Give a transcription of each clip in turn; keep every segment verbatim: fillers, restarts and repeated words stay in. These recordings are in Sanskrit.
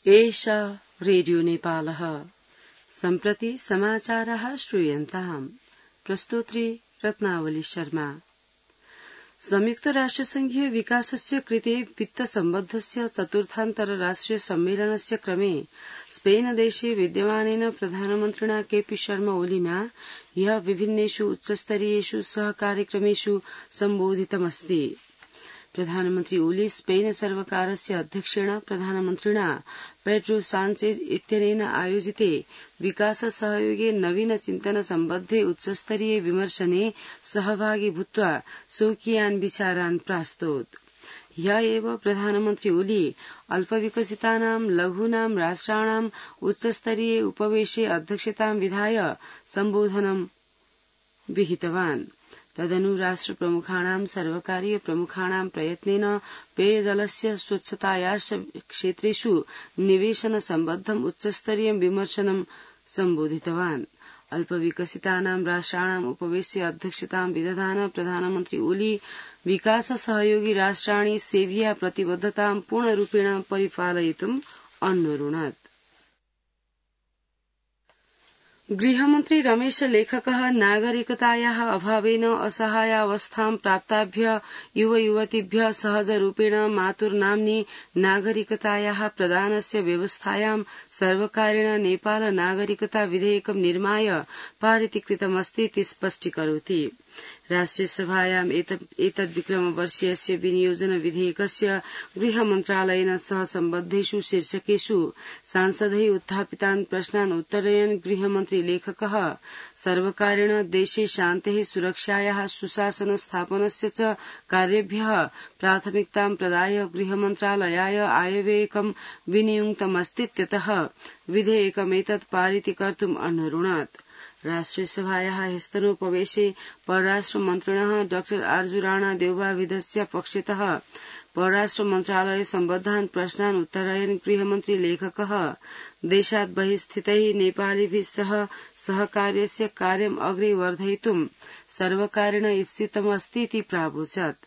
एषा रेडियो नेपालः सम्प्रति समाचारः श्रूयन्ताम्। प्रस्तोत्री रत्नावली शर्मा। संयुक्त राष्ट्रसंघीय विकासस्य कृते वित्तसम्बद्धस्य चतुर्थान्तरराष्ट्रिय सम्मेलनस्य क्रमे स्पेन देशे विद्यमानेन प्रधानमन्त्रिणा केपी शर्मा ओलिना ह्यः विभिन्नेषु उच्चस्तरीयेषु सहकार्यक्रमेषु सम्बोधितमस्ति। प्रधानमन्त्री ओली स्पेन सर्वकारस्य अध्यक्षेण प्रधानमन्त्रिणा पेड्रो सान्चेज इत्यनेन आयोजिते विकास सहयोगे नवीन चिन्तन सम्बद्धे उच्चस्तरीय विमर्शने सहभागी भूत्वा स्वकीयान् विचारान् प्रास्तोत्। ह्यः एव प्रधानमन्त्री ओली अल्पविकसितानां लघूनां राष्ट्राणाम् उच्चस्तरीय उपवेशे अध्यक्षतां विधाय सम्बोधनं विहितवान्। तदनु राष्ट्रप्रमुखाणां सर्वकारीय प्रमुखाणां प्रयत्नेन पेयजलस्य स्वच्छतायाश्च क्षेत्रेषु निवेशन सम्बद्धम् उच्चस्तरीय विमर्शनं सम्बोधितवान्। अल्पविकसितानां राष्ट्राणाम् उपवेशे अध्यक्षतां विदधान प्रधानमन्त्री ओली विकास सहयोगी राष्ट्राणि सेव्या प्रतिबद्धतां पूर्णरूपेण परिपालयितुम् अन्वरुणत्। गृहमन्त्री रमेश लेखकः नागरिकतायाः अभावेन असहायावस्थां प्राप्ताभ्य युवयुवतीभ्यः सहजरूपेण मातुर्नाम्नि नागरिकतायाः प्रदानस्य व्यवस्थायां सर्वकारेण नेपाल नागरिकता विधेयकं निर्माय पारितीकृतमस्तीति स्पष्टीकरोति। राष्ट्रियसभायाम् एतद्विक्रमवर्षीयस्य विनियोजन विधेयकस्य गृहमन्त्रालयेन सह सम्बद्धेषु शीर्षकेषु सांसदैः उत्थापितान् प्रश्नान् उत्तरयन् गृहमन्त्री लेखकः सर्वकारेण देशे शान्तेः सुरक्षायाः सुशासन स्थापनस्य च कार्येभ्यः प्राथमिकतां प्रदाय गृहमन्त्रालयाय आयव्ययकं विनियुक्तमस्तीत्यतः विधेयकमेतत् पारितीकर्तुम् अन्वरुणत्। राष्ट्रियसभायाः ह्यस्तनोपवेशे परराष्ट्रमन्त्रिणः डॉ आर्जु राणा देउवाविधस्य पक्षतः परराष्ट्र मन्त्रालय सम्बद्धान् प्रश्नान् उत्तरयन् गृहमन्त्री लेखकः देशात् बहिः स्थितैः नेपालिभिः सह सहकार्यस्य कार्यम् अग्रे वर्धयितुम् सर्वकारेण ईप्सितमस्तीति प्रावोचत्।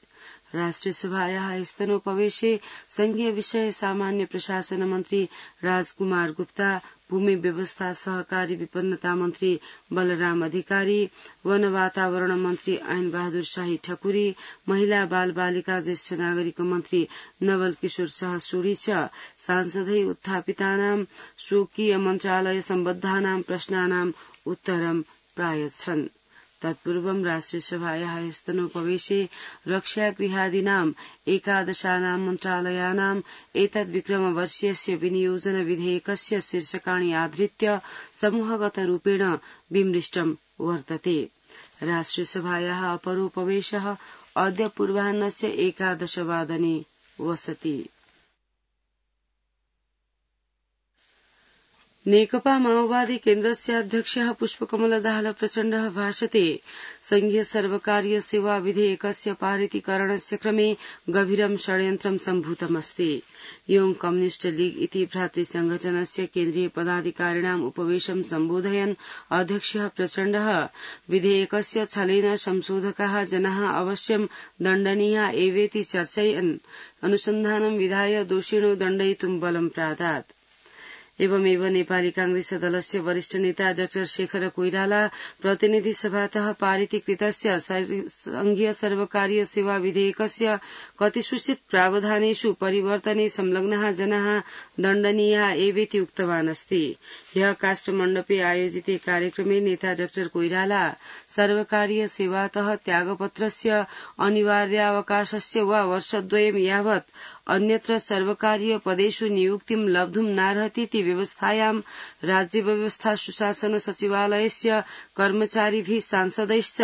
राष्ट्रियसभायाः ह्यस्तनोपवेशे संघीय विषय सामान्य प्रशासन मन्त्री राजकुमार गुप्ता, भूमि व्यवस्था सहकारी विपन्नता मन्त्री बलराम अधिकारी, वन वातावरण मन्त्री ऐन बहादुर शाही ठकुरी, महिला बाल बालिका ज्येष्ठ नागरिक मन्त्री नवल किशोर शाह सूरी च सांसदैः उत्थापितानां स्वकीय मन्त्रालय सम्बद्धानां प्रश्नानाम् उत्तरं प्रायच्छन्। तत्पूर्वं राष्ट्रियसभायाः ह्यस्तनोपवेशे रक्षागृहादीनाम् एकादशानां मन्त्रालयानाम् एतद्विक्रमवर्षीयस्य विनियोजन विधेयकस्य शीर्षकाणि आधृत्य समूहगतरूपेण विमृष्टं वर्तते। राष्ट्रियसभायाः अपरोपवेशः अद्य पूर्वाह्नस्य एकादशवादने वसति। नेकपा माओवादी केन्द्रस्य अध्यक्षः पुष्पकमल दाहाल प्रचण्डः भाषते संघीय सर्वकारीय सेवा विधेयकस्य पारितीकरणस्य क्रमे गभीरं षड्यन्त्रं सम्भूतमस्ति। योङ कम्युनिष्ट लीग इति भ्रातृसंघटनस्य केन्द्रीय पदाधिकारिणाम् उपवेशं सम्बोधयन् अध्यक्षः प्रचण्डः विधेयकस्य छलेन संशोधकाः जनाः अवश्यं दण्डनीया एवेति चर्चयन् अनुसन्धानं विधाय दोषिणो दण्डयितुं बलं प्रादात्। एवमेव नेपाली कांग्रेस दलस्य वरिष्ठ नेता डाक्टर शेखर कोइराला प्रतिनिधि सभातः पारितीकृतस्य संघीय सर्वकारीय सेवा विधेयकस्य कतिसूचित प्रावधानेषु परिवर्तने संलग्नाः जनाः दण्डनीया एवेति उक्तवान् अस्ति। ह्यः काष्ठमण्डपे आयोजिते कार्यक्रमे नेता डाक्टर कोइराला सर्वकारीय सेवातः त्यागपत्रस्य अनिवार्यावकाशस्य वा वर्षद्वयं यावत् अन्यत्र सर्वकारीय पदेषु नियुक्तिं लब्धुं नार्हतीति व्यवस्थायां राज्य व्यवस्था सुशासन सचिवालयस्य कर्मचारिभिः सांसदैश्च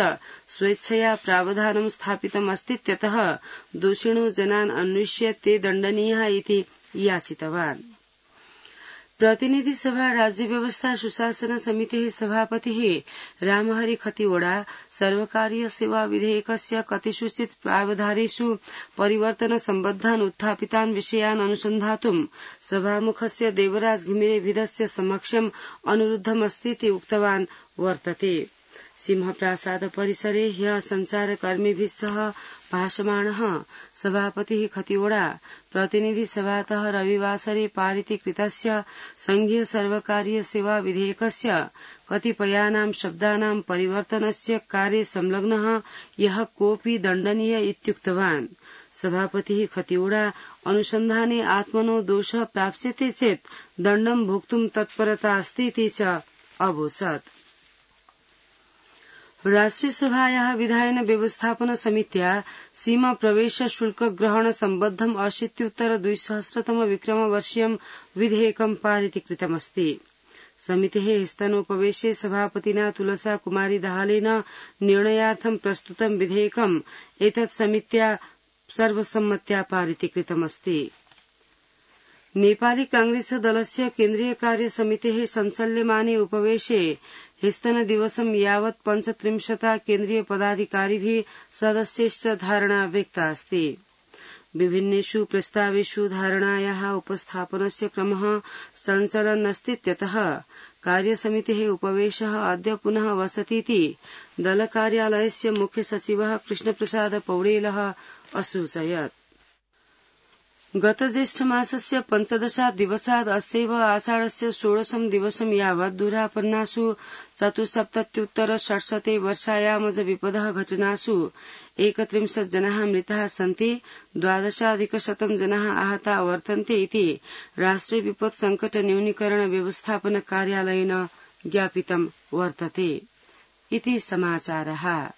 स्वेच्छया प्रावधानं स्थापितमस्तीत्यतः दोषिणो जनान् अन्विष्य ते दण्डनीयाः इति याचितवान्। प्रतिनिधि सभा राज्य व्यवस्था सुशासन समितेः सभापतिः रामहरि खतिवड़ा सर्वकारीय सेवा विधेयकस्य कतिसूचित प्रावधानेषु परिवर्तन सम्बद्धान् उत्थापितान् विषयान् अनुसन्धातुं सभामुखस्य देवराज घिमिरेभिधस्य समक्षम् अनुरुद्धमस्तीति उक्तवान् वर्तते। सिंहप्रासाद परिसरे ह्यः सञ्चारकर्मिभिः सह भाषमाणः सभापतिः खतिवड़ा प्रतिनिधिसभातः रविवासरे पारितीकृतस्य संघीय सर्वकारीय सेवा विधेयकस्य कतिपयानां शब्दानां परिवर्तनस्य कार्ये संलग्नः यः कोऽपि दण्डनीय इत्युक्तवान्। सभापतिः खतिवड़ा अनुसन्धाने आत्मनो दोषः प्राप्स्यते चेत् दण्डं भोक्तुं तत्परता अस्ति इति च अवोचत्। राष्ट्रियसभायाः विधायन व्यवस्थापन समित्या सीमा प्रवेश शुल्क ग्रहण सम्बद्धम् अशीत्युत्तर द्विसहस्रतम विक्रमवर्षीयं विधेयकं पारितीकृतमस्ति। समितेः स्तनोपवेशे सभापतिना तुलसा कुमारी दाहालेन निर्णयार्थं प्रस्तुतं विधेयकम् एतत् समित्या सर्वसम्मत्या पारितीकृतमस्ति। नेपाली कांग्रेस दलस्य केन्द्रीय कार्य समितेः संचल्यमाने उपवेशे ह्यस्तनदिवसं यावत् पञ्चत्रिंशता केन्द्रीय पदाधिकारिभिः सदस्यैश्च धारणा व्यक्ता अस्ति। विभिन्नेषु प्रस्तावेषु धारणायाः उपस्थापनस्य क्रमः सञ्चलन्नस्तीत्यतः कार्यसमितेः उपवेशः अद्य पुनः वसतीति दलकार्यालयस्य मुख्यसचिवः कृष्णप्रसाद पौडेलः असूचयत्। गत ज्येष्ठमासस्य पञ्चदशात् दिवसात् अस्यैव आषाढस्य षोडशं दिवसं यावत् दुरापन्नासु चतुस्सप्तत्युत्तर षट्शते वर्षायामज विपदः घटनासु एकत्रिंशत् जनाः मृताः सन्ति, द्वादशाधिकशतं जनाः आहताः वर्तन्ते इति राष्ट्रिय विपत् संकट न्यूनीकरण व्यवस्थापन कार्यालयेन ज्ञापितं वर्तते। इति समाचारः।